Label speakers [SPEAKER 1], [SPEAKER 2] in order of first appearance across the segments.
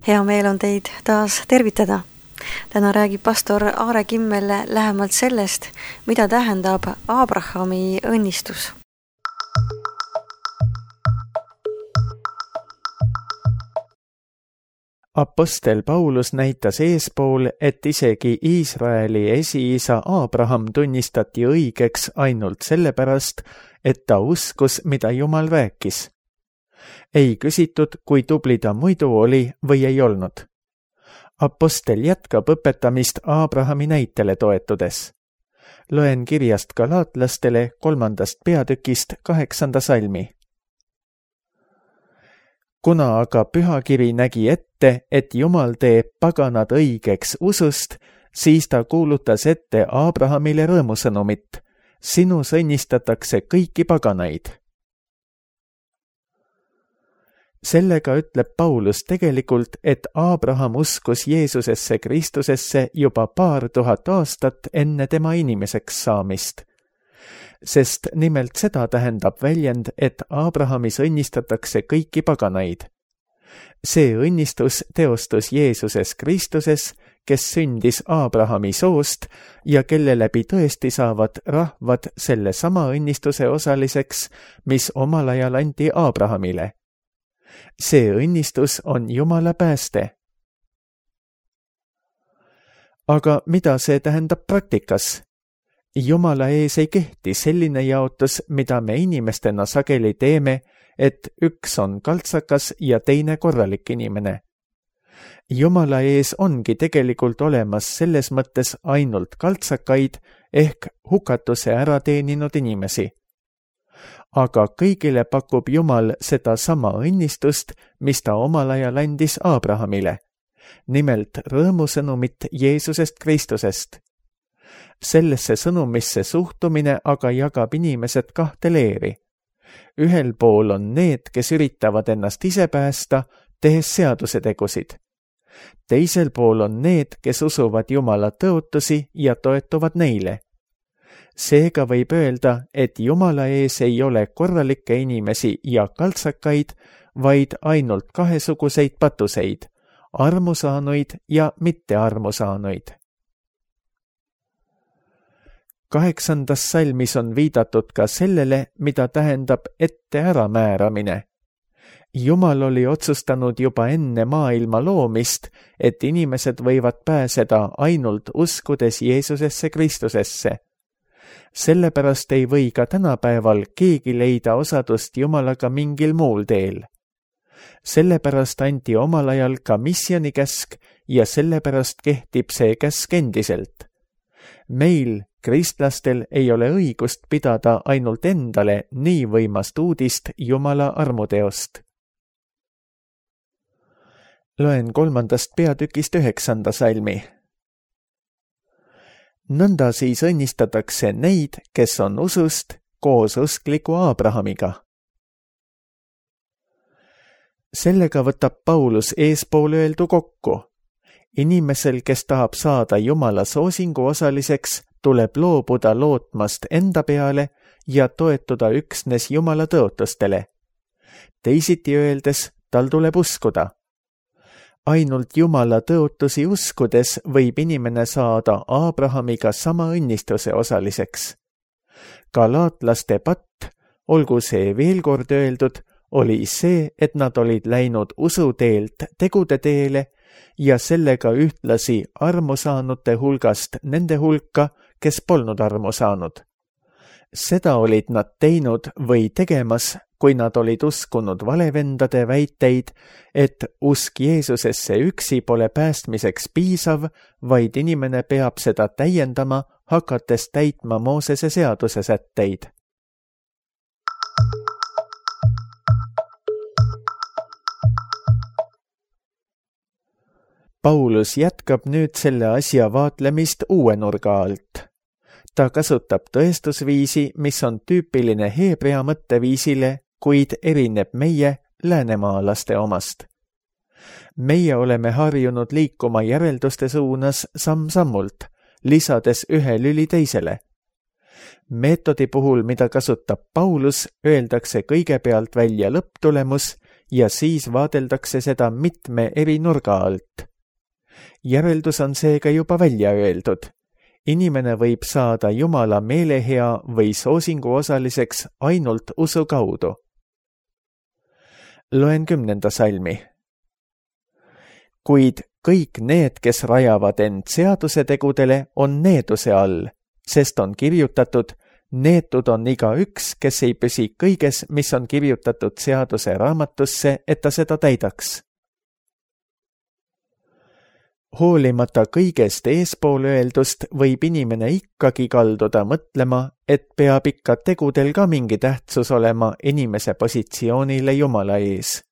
[SPEAKER 1] Hea meel on teid taas tervitada. Täna räägib pastor Aare Kimmel lähemalt sellest, mida tähendab Abrahami õnnistus.
[SPEAKER 2] Apostel Paulus näitas eespool, et isegi Iisraeli esiisa Abraham tunnistati õigeks ainult sellepärast, et ta uskus, mida Jumal rääkis. Ei küsitud, kui tubli ta muidu oli või ei olnud. Apostel jätkab õpetamist Abrahami näitele toetudes. Loen kirjast Galaatlastele 3. peatükist 8. salmi. Kuna aga pühakiri nägi ette, et Jumal teeb paganad õigeks usust, siis ta kuulutas ette Abrahamile rõõmusõnumit. Sinus õnnistatakse kõiki paganaid. Sellega ütleb Paulus tegelikult, et Abraham uskus Jeesusesse Kristusesse juba 2000 aastat enne tema inimeseks saamist. Sest nimelt seda tähendab väljend, et Abrahamis õnnistatakse kõiki paganaid. See õnnistus teostus Jeesuses Kristuses, kes sündis Abrahami soost ja kelle läbi tõesti saavad rahvad selle sama õnnistuse osaliseks, mis omal ajal anti Abrahamile. See õnnistus on Jumala pääste. Aga mida see tähendab praktikas? Jumala ees ei kehti selline jaotus, mida me inimestena sageli teeme, et üks on kaltsakas ja teine korralik inimene. Jumala ees ongi tegelikult olemas selles mõttes ainult kaltsakaid ehk hukatuse ära teeninud inimesi. Aga kõigile pakub Jumal seda sama õnnistust, mis ta omal ajal andis Abrahamile. Nimelt rõõmusõnumit Jeesusest Kristusest. Sellesse sõnumisse suhtumine aga jagab inimesed kahte leeri. Ühel pool on need, kes üritavad ennast ise päästa, tehes seaduse tegusid. Teisel pool on need, kes usuvad Jumala tõotusi ja toetuvad neile. Seega võib öelda, et Jumala ees ei ole korralikke inimesi ja kaltsakaid, vaid ainult kahesuguseid patuseid, armusaanuid ja mittearmusaanuid. 8. salmis on viidatud ka sellele, mida tähendab ette äramääramine. Jumal oli otsustanud juba enne maailma loomist, et inimesed võivad pääseda ainult uskudes Jeesusesse Kristusesse. Sellepärast ei või ka tänapäeval keegi leida osadust Jumalaga mingil muul teel. Sellepärast anti omal ajal ka missionikäsk ja sellepärast kehtib see käsk endiselt. Meil, kristlastel, ei ole õigust pidada ainult endale nii võimast uudist Jumala armuteost. Loen 3. peatükist 9. salmi. Nõnda siis õnnistatakse neid, kes on usust koos uskliku Abrahamiga. Sellega võtab Paulus eespool öeldu kokku. Inimesel, kes tahab saada Jumala soosingu osaliseks, tuleb loobuda lootmast enda peale ja toetuda üksnes Jumala tõotustele. Teisiti öeldes, tal tuleb uskuda. Ainult Jumala tõotusi uskudes võib inimene saada Abrahamiga sama õnnistuse osaliseks. Galaatlaste patt, olgu see veel kord öeldud, oli see, et nad olid läinud usuteelt tegude teele ja sellega ühtlasi armu saanute hulgast nende hulka, kes polnud armu saanud. Seda olid nad teinud või tegemas, kui nad olid uskunud valevendade väiteid, et usk Jeesusesse üksi pole päästmiseks piisav, vaid inimene peab seda täiendama, hakates täitma Moosese seaduse sätteid. Paulus jätkab nüüd selle asja vaatlemist uue nurga alt. Ta kasutab tõestusviisi, mis on tüüpiline heebrea mõtteviisile, kuid erineb meie läänemaalaste omast. Meie oleme harjunud liikuma järelduste suunas samm-sammult, lisades ühe lüli teisele. Meetodi puhul, mida kasutab Paulus, öeldakse kõigepealt välja lõpptulemus ja siis vaadeldakse seda mitme eri nurga alt. Järeldus on seega juba välja öeldud. Inimene võib saada Jumala meelehea või soosingu osaliseks ainult usu kaudu. Loen 10. salmi. Kuid kõik need, kes rajavad end seaduse tegudele, on needuse all, sest on kirjutatud, neetud on igaüks, kes ei püsi kõiges, mis on kirjutatud seaduse raamatusse, et ta seda täidaks. Hoolimata kõigest eespool öeldust võib inimene ikkagi kalduda mõtlema, et peab ikka tegudel ka mingi tähtsus olema inimese positsioonile Jumala ees.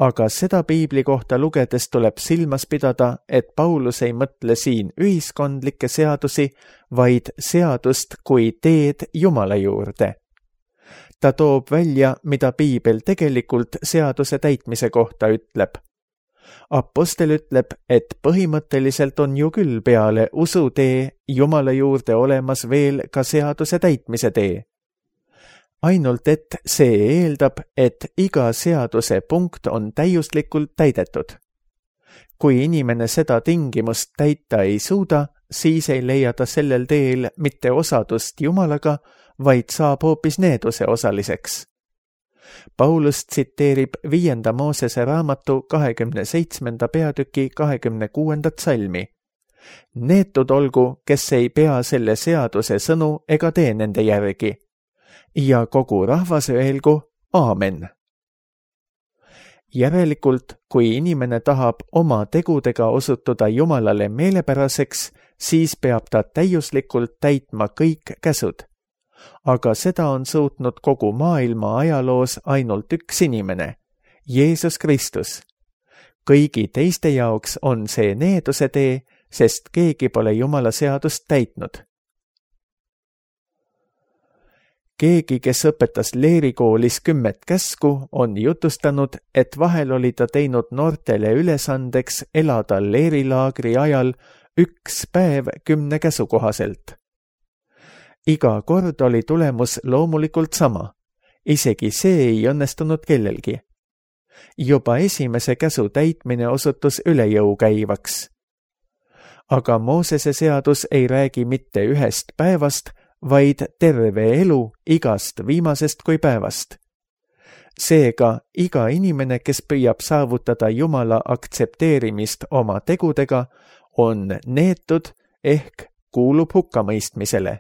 [SPEAKER 2] Aga seda piibli kohta lugedes tuleb silmas pidada, et Paulus ei mõtle siin ühiskondlikke seadusi, vaid seadust kui teed Jumala juurde. Ta toob välja, mida piibel tegelikult seaduse täitmise kohta ütleb. Apostel ütleb, et põhimõtteliselt on ju küll peale usutee Jumala juurde olemas veel ka seaduse täitmise tee. Ainult et see eeldab, et iga seaduse punkt on täiuslikult täidetud. Kui inimene seda tingimust täita ei suuda, siis ei leia ta sellel teel mitte osadust Jumalaga, vaid saab hoopis needuse osaliseks. Paulus tsiteerib 5. Moosese raamatu 27. peatüki 26. salmi. Neetud olgu, kes ei pea selle seaduse sõnu ega tee nende järgi. Ja kogu rahvas öelgu aamen. Järelikult, kui inimene tahab oma tegudega osutuda Jumalale meelepäraseks, siis peab ta täiuslikult täitma kõik käsud. Aga seda on suutnud kogu maailma ajaloos ainult üks inimene, Jeesus Kristus. Kõigi teiste jaoks on see needuse tee, sest keegi pole Jumala seadust täitnud. Keegi, kes õpetas leerikoolis 10 käsku, on jutustanud, et vahel oli ta teinud noortele ülesandeks elada leerilaagri ajal 1 päev 10 käsu kohaselt. Iga kord oli tulemus loomulikult sama. Isegi see ei õnnestunud kellelgi. Juba esimese käsu täitmine osutus üle jõu käivaks. Aga Moosese seadus ei räägi mitte 1 päevast, vaid terve elu igast viimasest kui päevast. Seega iga inimene, kes püüab saavutada Jumala aktsepteerimist oma tegudega, on neetud ehk kuulub hukkamõistmisele.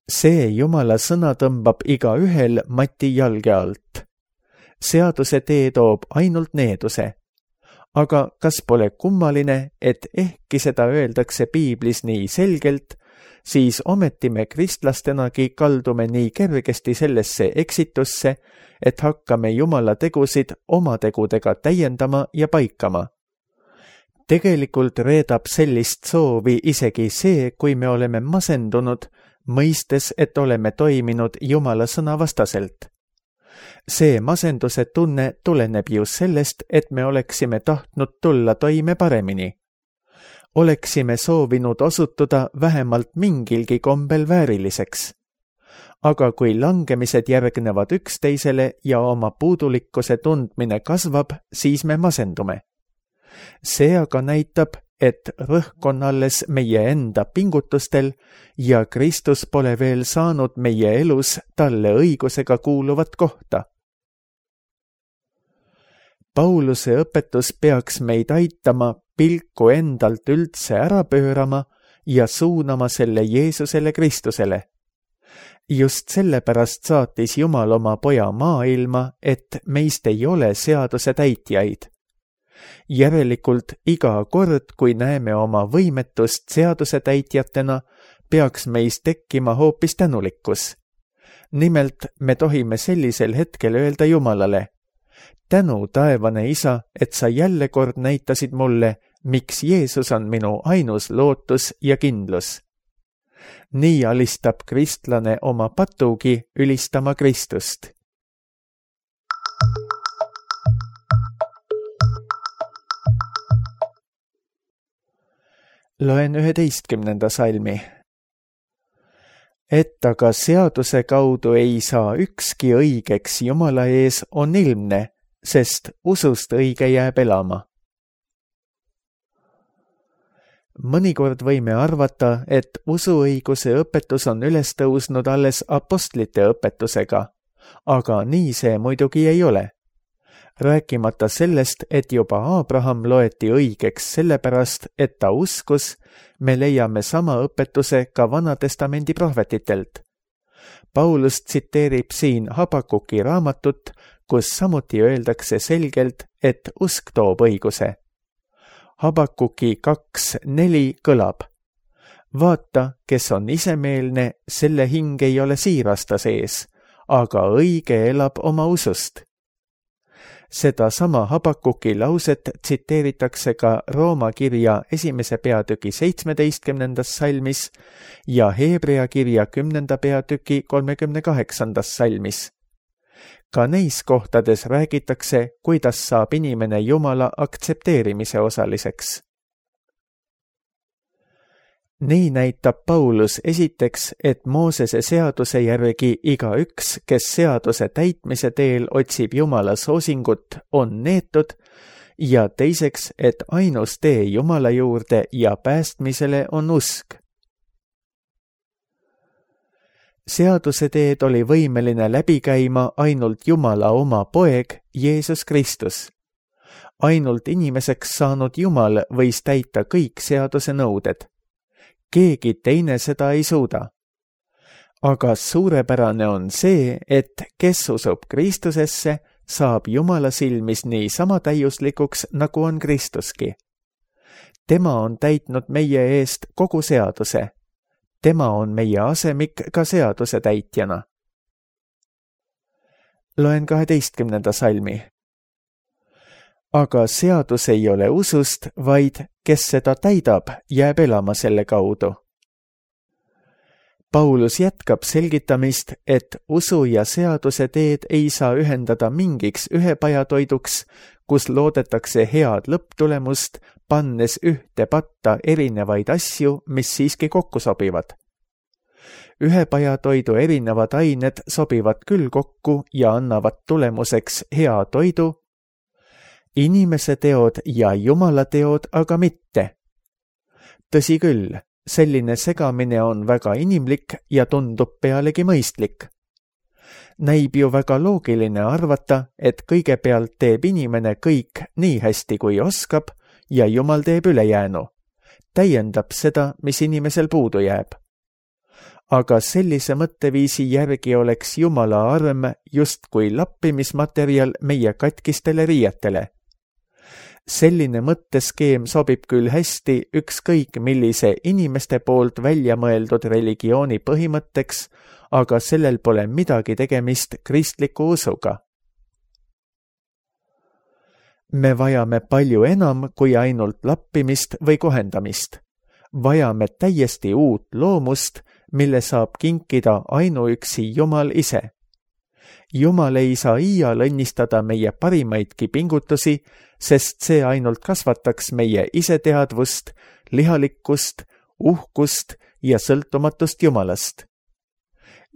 [SPEAKER 2] See Jumala sõna tõmbab igaühel mati jalge alt. Seaduse tee toob ainult needuse. Aga kas pole kummaline, et ehkki seda öeldakse piiblis nii selgelt, siis ometi me kristlastenagi kaldume nii kergesti sellesse eksitusse, et hakkame Jumala tegusid oma tegudega täiendama ja paikama. Tegelikult reedab sellist soovi isegi see, kui me oleme masendunud, mõistes, et oleme toiminud Jumala sõna vastaselt. See masenduse tunne tuleneb just sellest, et me oleksime tahtnud tulla toime paremini. Oleksime soovinud osutuda vähemalt mingilgi kombel vääriliseks. Aga kui langemised järgnevad üksteisele ja oma puudulikkuse tundmine kasvab, siis me masendume. See aga näitab, et rõhk on alles meie enda pingutustel ja Kristus pole veel saanud meie elus talle õigusega kuuluvat kohta. Pauluse õpetus peaks meid aitama pilku endalt üldse ära pöörama ja suunama selle Jeesusele Kristusele. Just sellepärast saatis Jumal oma poja maailma, et meist ei ole seaduse täitjaid. Järelikult iga kord, kui näeme oma võimetust seaduse täitjatena, peaks meis tekkima hoopis tänulikkus. Nimelt me tohime sellisel hetkel öelda Jumalale: tänu, taevane Isa, et sa jälle kord näitasid mulle, miks Jeesus on minu ainus lootus ja kindlus. Nii alistab kristlane oma patugi ülistama Kristust. Loen 11. salmi. et aga seaduse kaudu ei saa ükski õigeks Jumala ees, on ilmne, sest usust õige jääb elama. Mõnikord võime arvata, et usuõiguse õpetus on üles tõusnud alles apostlite õpetusega, aga nii see muidugi ei ole. Rääkimata sellest, et juba Abraham loeti õigeks sellepärast, et ta uskus, me leiame sama õpetuse ka Vanatestamendi prohvetitelt. Paulus tsiteerib siin Habakuki raamatut, kus samuti öeldakse selgelt, et usk toob õiguse. Habakuki 2:4 kõlab: vaata, kes on isemeelne, selle hing ei ole siirasta sees, aga õige elab oma usust. Seda sama Habakuki lauset tsiteeritakse ka Rooma kirja 1. peatüki 17. salmis ja Hebrea kirja 10. peatüki 38. salmis. Ka neis kohtades räägitakse, kuidas saab inimene Jumala aktsepteerimise osaliseks. Nii näitab Paulus esiteks, et Moosese seaduse järgi igaüks, kes seaduse täitmise teel otsib Jumala soosingut, on neetud, ja teiseks, et ainus tee Jumala juurde ja päästmisele on usk. Seaduse teed oli võimeline läbi käima ainult Jumala oma poeg, Jeesus Kristus. Ainult inimeseks saanud Jumal võis täita kõik seaduse nõuded. Keegi teine seda ei suuda. Aga suurepärane on see, et kes usub Kristusesse, saab Jumala silmis nii sama täiuslikuks, nagu on Kristuski. Tema on täitnud meie eest kogu seaduse. Tema on meie asemik ka seaduse täitjana. Loen 12. salmi. Aga seadus ei ole usust, vaid kes seda täidab, jääb elama selle kaudu. Paulus jätkab selgitamist, et usu ja seaduse teed ei saa ühendada mingiks ühepajatoiduks, kus loodetakse head lõpptulemust, pannes ühte patta erinevaid asju, mis siiski kokku sobivad. Ühepajatoidu erinevad ained sobivad küll kokku ja annavad tulemuseks hea toidu, inimese teod ja Jumala teod aga mitte. Tõsi küll, selline segamine on väga inimlik ja tundub pealegi mõistlik. Näib ju väga loogiline arvata, et kõigepealt teeb inimene kõik nii hästi kui oskab ja Jumal teeb ülejäänu, täiendab seda, mis inimesel puudu jääb. Aga sellise mõtteviisi järgi oleks Jumala arm justkui lappimismaterjal meie katkistele riietele. Selline mõtteskeem sobib küll hästi ükskõik millise inimeste poolt välja mõeldud religiooni põhimõtteks, aga sellel pole midagi tegemist kristliku usuga. Me vajame palju enam kui ainult lappimist või kohendamist. Vajame täiesti uut loomust, mille saab kinkida ainuüksi Jumal ise. Jumal ei saa iial õnnistada meie parimaidki pingutusi, sest see ainult kasvataks meie iseteadvust, lihalikkust, uhkust ja sõltumatust Jumalast.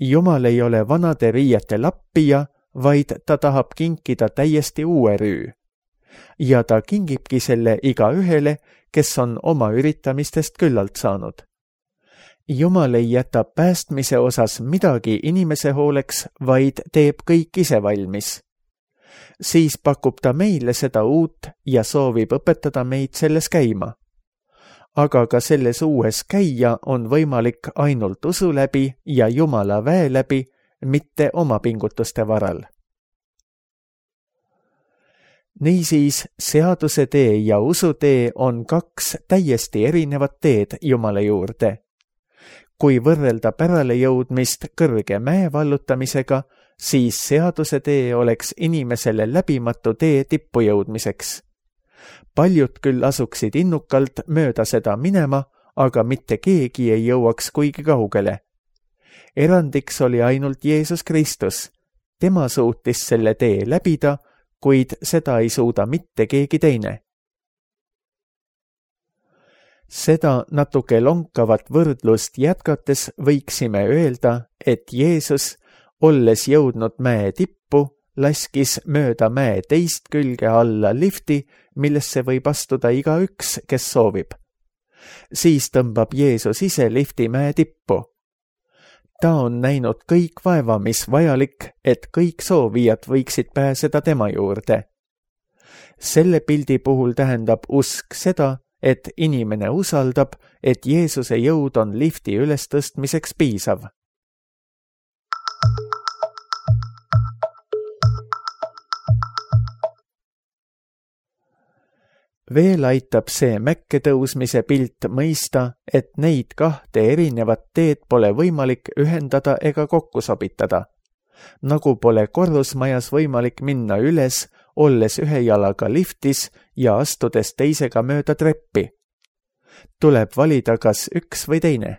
[SPEAKER 2] Jumal ei ole vanade riiete lappija, vaid ta tahab kinkida täiesti uue rüü. Ja ta kingibki selle igaühele, kes on oma üritamistest küllalt saanud. Jumal ei jäta päästmise osas midagi inimese hooleks, vaid teeb kõik ise valmis. Siis pakub ta meile seda uut ja soovib õpetada meid selles käima. Aga ka selles uues käia on võimalik ainult usu läbi ja Jumala väe läbi, mitte oma pingutuste varal. Niisiis, seaduse tee ja usutee on kaks täiesti erinevat teed Jumala juurde. Kui võrrelda pärale jõudmist kõrge mäe vallutamisega, siis seaduse tee oleks inimesele läbimatu tee tippu jõudmiseks. Paljud küll asuksid innukalt mööda seda minema, aga mitte keegi ei jõuaks kuigi kaugele. Erandiks oli ainult Jeesus Kristus. Tema suutis selle tee läbida, kuid seda ei suuda mitte keegi teine. Seda natuke lonkavat võrdlust jätkates võiksime öelda, et Jeesus, olles jõudnud mäe tippu, laskis mööda mäe teist külge alla lifti, millesse võib astuda igaüks, kes soovib. Siis tõmbab Jeesus ise lifti mäe tippu. Ta on näinud kõik vaeva, mis vajalik, et kõik soovijad võiksid pääseda tema juurde. Selle pildi puhul tähendab usk seda, et inimene usaldab, et Jeesuse jõud on lifti ülestõstmiseks piisav. Veel aitab see mäkke tõusmise pilt mõista, et neid kahte erinevat teed pole võimalik ühendada ega kokku sobitada. Nagu pole korrusmajas võimalik minna üles, olles ühe jalaga liftis ja astudes teisega mööda treppi. Tuleb valida kas üks või teine.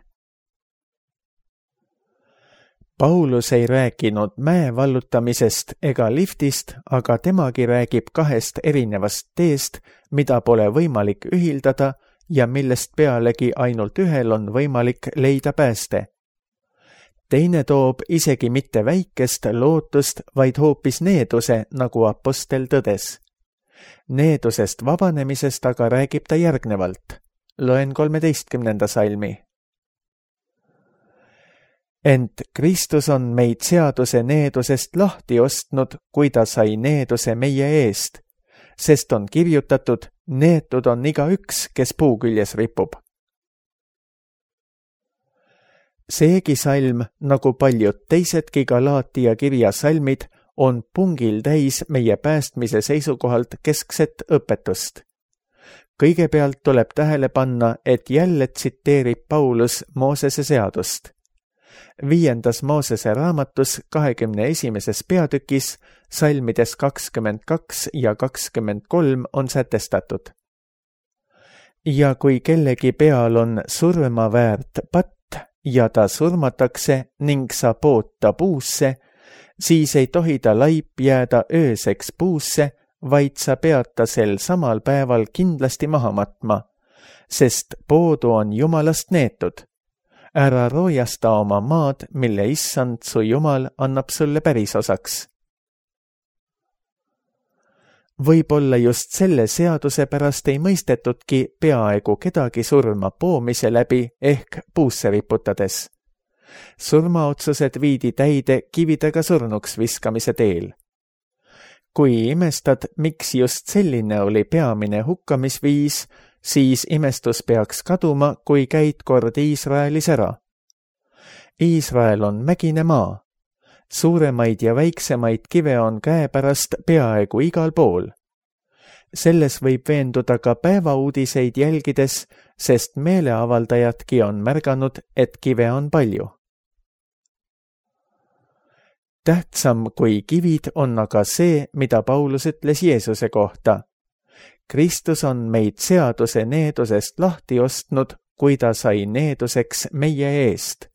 [SPEAKER 2] Paulus ei rääkinud mäe vallutamisest ega liftist, aga temagi räägib kahest erinevast teest, mida pole võimalik ühildada ja millest pealegi ainult ühel on võimalik leida pääste. Teine toob isegi mitte väikest lootust, vaid hoopis needuse, nagu apostel tõdes. Needusest vabanemisest aga räägib ta järgnevalt. Loen 13. salmi. Ent Kristus on meid seaduse needusest lahti ostnud, kui ta sai needuse meie eest, sest on kirjutatud, neetud on igaüks, kes puu küljes ripub. Seegi salm, nagu paljud teisedki Galaatia kirja salmid, on pungil täis meie päästmise seisukohalt keskset õpetust. Kõigepealt tuleb tähele panna, et jälle tsiteerib Paulus Moosese seadust. 5. Moosese raamatus 21. peatükis salmides 22 ja 23 on sätestatud. Ja kui kellegi peal on surma väärt patt, ja ta surmatakse ning sa pood ta puusse, siis ei tohi ta laip jääda ööseks puusse, vaid sa pead ta sel samal päeval kindlasti maha matma, sest poodu on Jumalast neetud. Ära roojasta oma maad, mille issand su Jumal annab sulle pärisosaks. Võib-olla just selle seaduse pärast ei mõistetudki peaaegu kedagi surma poomise läbi ehk puusse riputades. Surmaotsused viidi täide kividega surnuks viskamise teel. Kui imestad, miks just selline oli peamine hukkamisviis, siis imestus peaks kaduma, kui käid kord Iisraelis ära. Iisrael on mägine maa. Suuremaid ja väiksemaid kive on käepärast peaaegu igal pool. Selles võib veenduda ka päevauudiseid jälgides, sest meeleavaldajadki on märganud, et kive on palju. Tähtsam kui kivid on aga see, mida Paulus ütles Jeesuse kohta. Kristus on meid seaduse needusest lahti ostnud, kui ta sai needuseks meie eest.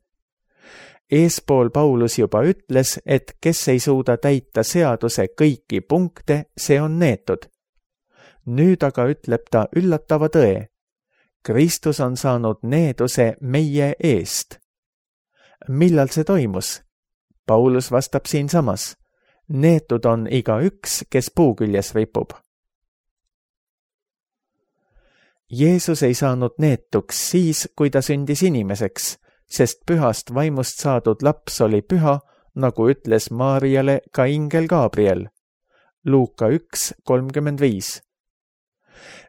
[SPEAKER 2] Eespool Paulus juba ütles, et kes ei suuda täita seaduse kõiki punkte, see on neetud. Nüüd aga ütleb ta üllatava tõe. Kristus on saanud needuse meie eest. Millal see toimus? Paulus vastab siinsamas. Neetud on igaüks, kes puu küljes ripub. Jeesus ei saanud neetuks siis, kui ta sündis inimeseks, sest pühast vaimust saadud laps oli püha, nagu ütles Maarjale ka ingel Gabriel. Luuka 1:35.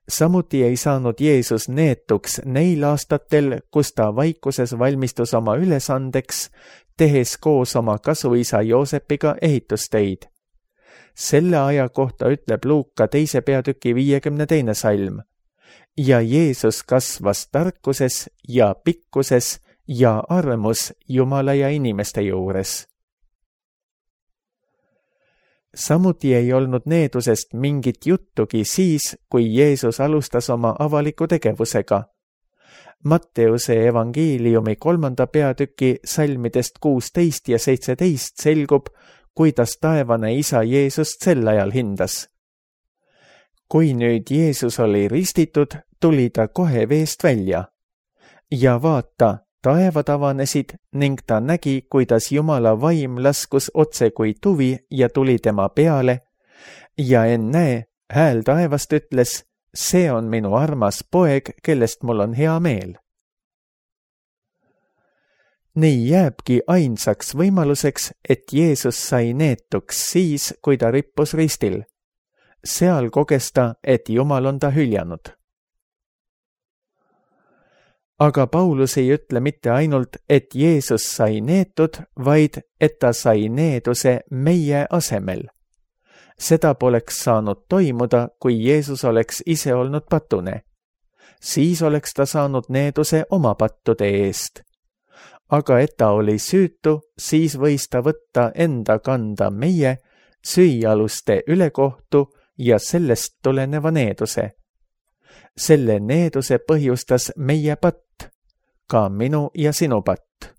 [SPEAKER 2] Samuti ei saanud Jeesus neetuks neil aastatel, kus ta vaikuses valmistus oma ülesandeks, tehes koos oma kasuisa Joosepiga ehitustöid. Selle aja kohta ütleb Luuka 2. peatüki 52. salm. Ja Jeesus kasvas tarkuses ja pikkuses ja armus Jumala ja inimeste juures. Samuti ei olnud needusest mingit juttugi siis, kui Jeesus alustas oma avaliku tegevusega. Matteuse evangeeliumi 3. peatüki salmidest 16 ja 17 selgub, kuidas taevane isa Jeesust sel ajal hindas. kui nüüd Jeesus oli ristitud, tuli ta kohe veest välja. Ja vaata, taevad avanesid ning ta nägi, kuidas Jumala vaim laskus otse kui tuvi ja tuli tema peale. Ja ennäe, hääl taevast ütles, see on minu armas poeg, kellest mul on hea meel. Nii jääbki ainsaks võimaluseks, et Jeesus sai neetuks siis, kui ta rippus ristil. Seal koges ta, et Jumal on ta hüljanud. Aga Paulus ei ütle mitte ainult, et Jeesus sai neetud, vaid et ta sai needuse meie asemel. Seda poleks saanud toimuda, kui Jeesus oleks ise olnud patune. Siis oleks ta saanud needuse oma pattude eest. Aga et ta oli süütu, siis võis ta võtta enda kanda meie süüaluste ülekohtu ja sellest tuleneva needuse. Selle needuse põhjustas meie patt, ka minu ja sinu patt.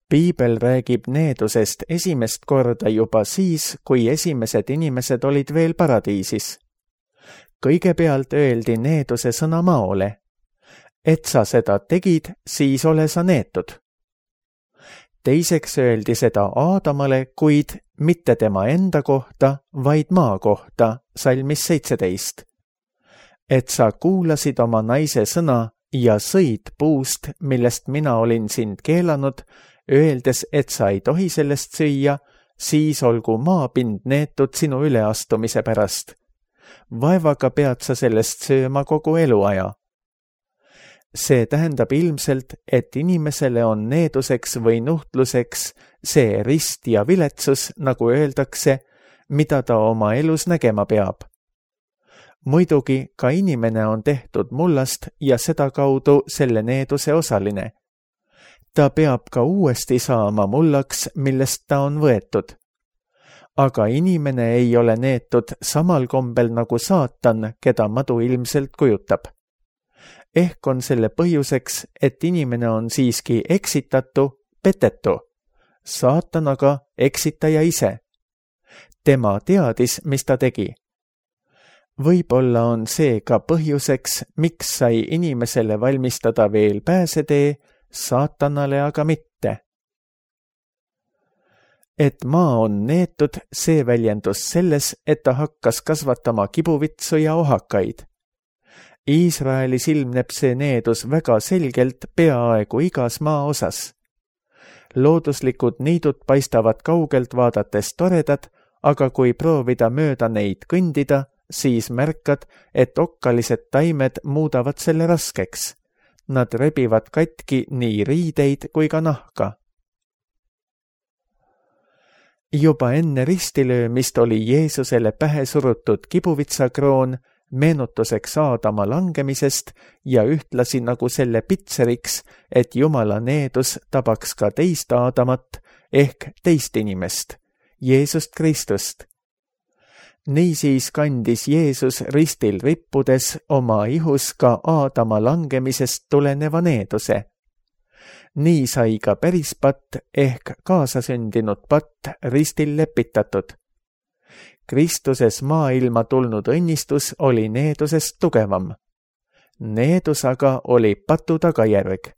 [SPEAKER 2] Piibel räägib needusest esimest korda juba siis, kui esimesed inimesed olid veel paradiisis. Kõigepealt öeldi needuse sõna maole. Et sa seda tegid, siis ole sa neetud. Teiseks öeldi seda Aadamale, kuid mitte tema enda kohta, vaid maa kohta, salmis 17. Et sa kuulasid oma naise sõna ja sõid puust, millest mina olin sind keelanud, öeldes, et sa ei tohi sellest süüa, siis olgu maapind neetud sinu üleastumise pärast. Vaevaga pead sa sellest sööma kogu eluaja. See tähendab ilmselt, et inimesele on needuseks või nuhtluseks see rist ja viletsus, nagu öeldakse, mida ta oma elus nägema peab. Muidugi ka inimene on tehtud mullast ja sedakaudu selle needuse osaline. Ta peab ka uuesti saama mullaks, millest ta on võetud. Aga inimene ei ole neetud samal kombel nagu saatan, keda madu ilmselt kujutab. Ehk on selle põhjuseks, et inimene on siiski eksitatu, petetu. Saatan aga eksitaja ise. Tema teadis, mis ta tegi. Võib-olla on see ka põhjuseks, miks sai inimesele valmistada veel pääsetee, saatanale aga mitte. Et maa on neetud, see väljendus selles, et ta hakkas kasvatama kibuvitsu ja ohakaid. Iisraelis ilmneb see needus väga selgelt peaaegu igas maaosas. Looduslikud niidud paistavad kaugelt vaadates toredad, aga kui proovida mööda neid kõndida, siis märkad, et okkalised taimed muudavad selle raskeks. Nad rebivad katki nii riideid kui ka nahka. Juba enne ristilöömist oli Jeesusele pähe surutud kibuvitsakroon, meenutuseks Aadama langemisest ja ühtlasi nagu selle pitseriks, et Jumala needus tabaks ka teist Aadamat ehk teist inimest, Jeesust Kristust. Niisiis kandis Jeesus ristil rippudes oma ihus ka Aadama langemisest tuleneva needuse. Nii sai ka päris patt ehk kaasasündinud patt ristil lepitatud. Kristuses maailma tulnud õnnistus oli needusest tugevam. Needus aga oli patu tagajärg.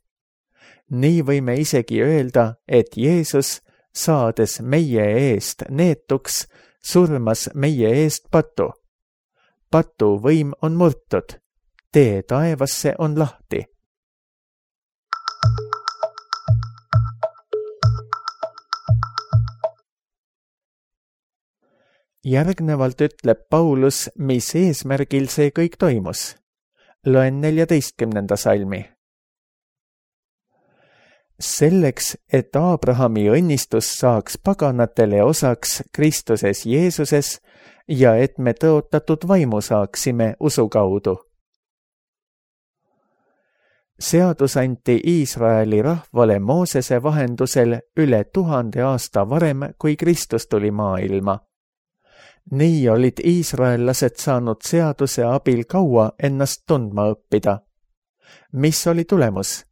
[SPEAKER 2] Nii võime isegi öelda, et Jeesus, saades meie eest neetuks, surmas meie eest patu. Patu võim on murtud. Tee taevasse on lahti. Järgnevalt ütleb Paulus, mis eesmärgil see kõik toimus. Loen 14. salmi. Selleks, et Abrahami õnnistus saaks paganatele osaks Kristuses Jeesuses ja et me tõotatud vaimu saaksime usu kaudu. Seadus anti Iisraeli rahvale Moosese vahendusel üle 1000 aasta varem, kui Kristus tuli maailma. Nii olid iisraellased saanud seaduse abil kaua ennast tundma õppida. Mis oli tulemus?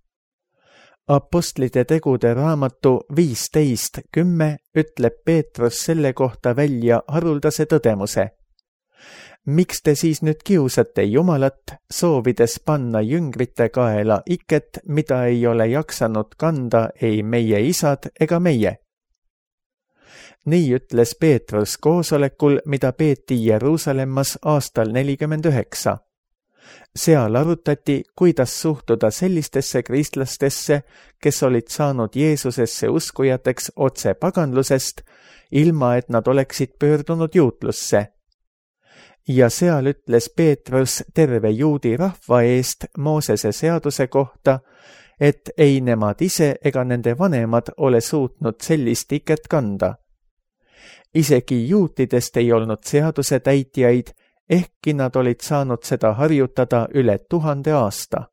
[SPEAKER 2] Apostlite tegude raamatu 15:10 ütleb Peetrus selle kohta välja haruldase tõdemuse. miks te siis nüüd kiusate Jumalat, soovides panna jüngrite kaela iket, mida ei ole jaksanud kanda ei meie isad ega meie? Nii ütles Peetrus koosolekul, mida peeti Jeruusalemmas aastal 49. Seal arutati, kuidas suhtuda sellistesse kristlastesse, kes olid saanud Jeesusesse uskujateks otse paganlusest, ilma et nad oleksid pöördunud juutlusse. Ja seal ütles Peetrus terve juudi rahva eest Moosese seaduse kohta, et ei nemad ise ega nende vanemad ole suutnud sellist iket kanda. Isegi juutidest ei olnud seaduse täitjaid, ehkki nad olid saanud seda harjutada üle 1000 aasta.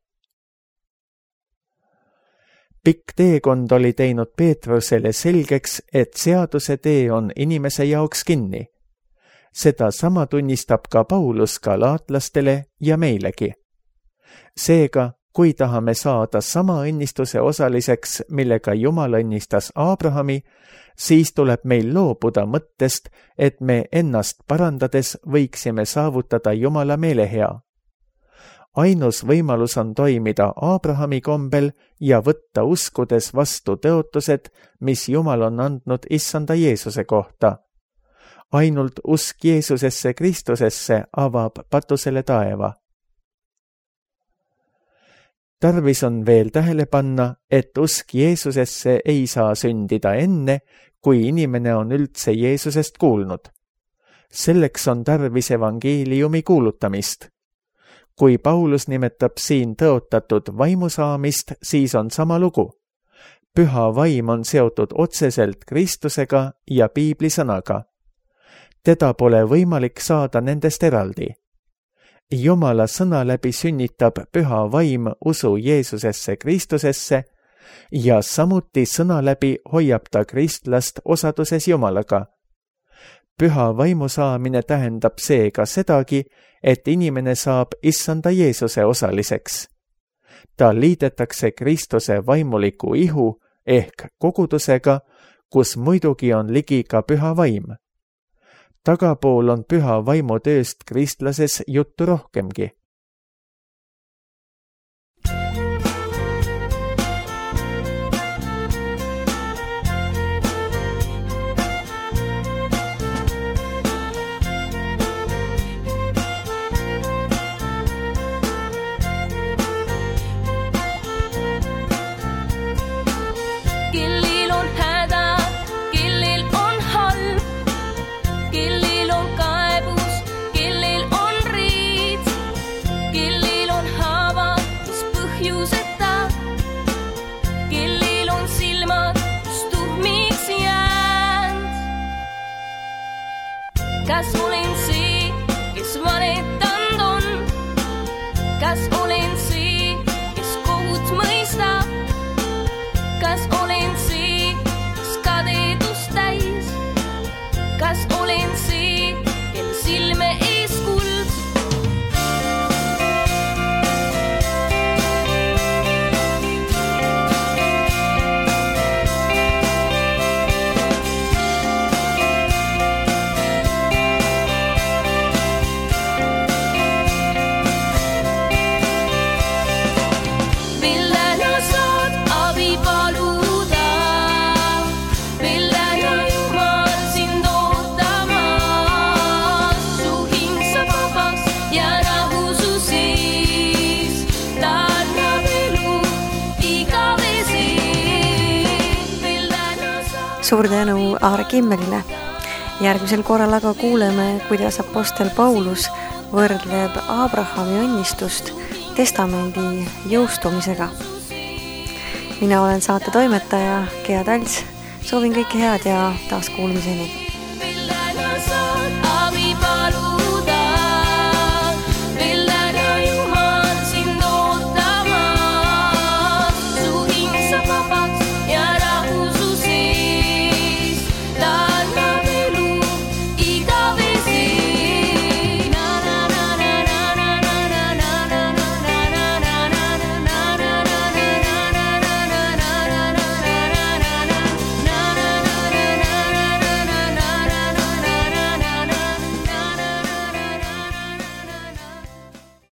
[SPEAKER 2] Pikk teekond oli teinud Peetrusele selgeks, et seaduse tee on inimese jaoks kinni. Seda sama tunnistab ka Paulus galaatlastele ja meilegi. Seega, kui tahame saada sama õnnistuse osaliseks, millega Jumal õnnistas Aabrahami, siis tuleb meil loobuda mõttest, et me ennast parandades võiksime saavutada Jumala meelehea. Ainus võimalus on toimida Aabrahami kombel ja võtta uskudes vastu tõotused, mis Jumal on andnud Issanda Jeesuse kohta. Ainult usk Jeesusesse Kristusesse avab patusele taeva. Tarvis on veel tähele panna, et usk Jeesusesse ei saa sündida enne, kui inimene on üldse Jeesusest kuulnud. Selleks on tarvis evangeeliumi kuulutamist. Kui Paulus nimetab siin tõotatud vaimu saamist, siis on sama lugu. Püha vaim on seotud otseselt Kristusega ja piiblisõnaga. Teda pole võimalik saada nendest eraldi. Jumala sõna läbi sünnitab püha vaim usu Jeesusesse Kristusesse ja samuti sõna läbi hoiab ta kristlast osaduses Jumalaga. Püha vaimu saamine tähendab seega sedagi, et inimene saab Issanda Jeesuse osaliseks. Ta liidetakse Kristuse vaimuliku ihu ehk kogudusega, kus muidugi on ligi ka püha vaim. Tagapool on püha vaimu tööst kristlases juttu rohkemgi.
[SPEAKER 3] Kas olen see, kes valetanud on? Kas olen see, kes kohut mõistab? Kas olen see, kes kadedust täis? Kas olen see, kel silme ees kuld?
[SPEAKER 1] Suur tänu Aare Kimmelile. Järgmisel korral aga kuuleme, kuidas apostel Paulus võrdleb Abrahami õnnistust testamendi jõustumisega. Mina olen saate toimetaja Gea Talts. Soovin kõike head ja taas kuulmiseni.